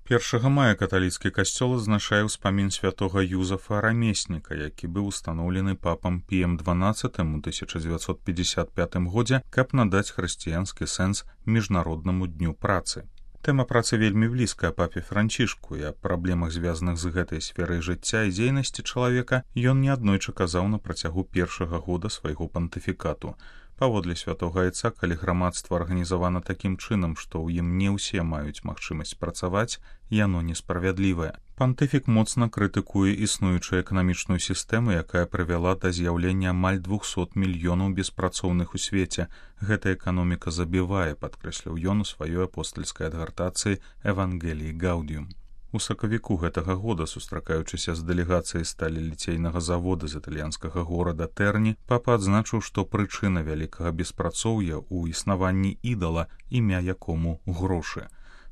1 мая каталіцкі касцёл адзначае ўспамін святога Юзафа Рамесніка, які быў устаноўлены папам Піем XII у 1955 годзе, каб надаць хрысціянскі сэнс міжнароднаму дню працы. Тэма працы вельмі блізкая папе Францішку, і аб праблемах, звязаных з гэтай сферай жыцця і дзейнасці чалавека, ён неаднойчы казаў на працягу першага года свайго пантыфікату. Паводле святога айца, калі грамадства арганізавана такім чынам, што ў ім не ўсе маюць магчымасць працаваць, яно несправядлівае. Пантыфік моцна крытыкуе існуючую эканамічную сістэму, якая прывяла да з'яўлення амаль 200 мільёнаў беспрацоўных у свеце. Гэта эканоміка забівае, падкрэсліў ён у сваёй апостальскай адгартацыі «Евангеліі Гаудіум». У сакавіку гэтага года, сустракаючыся з дэлегацыяй сталеліцейнага завода з італьянскага горада Тэрні, папа адзначыў, што прычына вялікага беспрацоўя ў існаванні ідала, імя якому грошы.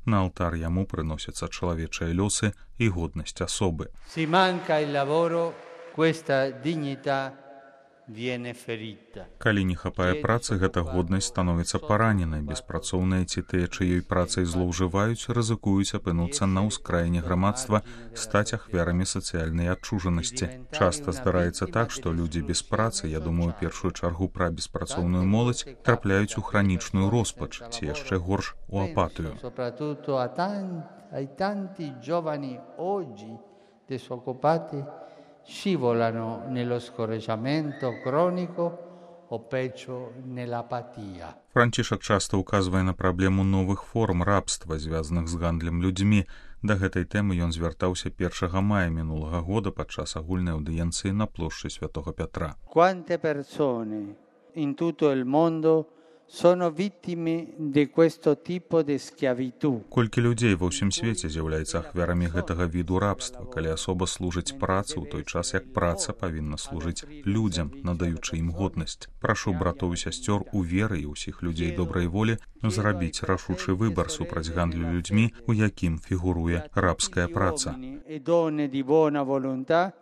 На алтар яму прыносяцца чалавечыя лёсы і годнасць асобы. Si manca il lavoro, questa dignità viene ferita. Калі не хапае працы, гэта годнасць становіцца параненай. Беспрацоўныя ці тыя, чыёй працай злоўжываюць, рызыкуюць апынуцца на ўскраіне грамадства, стаць ахвярамі сацыяльнай адчужанасці. Часта здараецца так, што людзі без працы, я думаю, першую чаргу пра беспрацоўную моладзь, трапляюць у хранічную роспач, ці яшчэ горш, у апатыю. Soprattutto ai tanti giovani oggi disoccupati scivolano nello scoraggiamento cronico o peggio nell'apatia. Францішак часта ўказвае на праблему новых форм рабства, звязаных з гандлем людзьмі. Да гэтай тэмы ён звяртаўся 1 мая мінулага года падчас агульнай аўдыенцыі на плошчы Святога Пятра. Quante persone in tutto il mondo sono vittime di questo tipo di schiavitù. Колькі людзей ва ўсім свеце з'яўляецца ахвярамі гэтага віду рабства, калі асоба служыць працы ў той час, як праца павінна служыць людзям, надаючы ім годнасць. Прашу братоў і сясцёр у веры і ўсіх людзей добрай волі зрабіць рашучы выбар супраць гандлю людзьмі, у якім фігуруе рабская праца. E donne di buona volontà,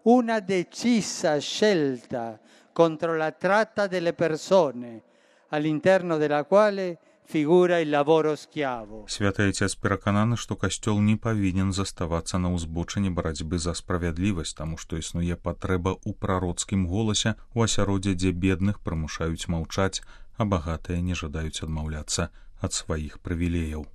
una decisa scelta contro la tratta delle persone, all'interno della quale figura il lavoro schiavo. Святы Айцец перакананы, што касцёл не павінен заставацца на ўзбочыне барацьбы за справядлівасць, таму што існуе патрэба ў прароцкім голасе, у асяроддзе, дзе бедных прымушаюць маўчаць, а багатыя не жадаюць адмаўляцца ад сваіх прывілеяў.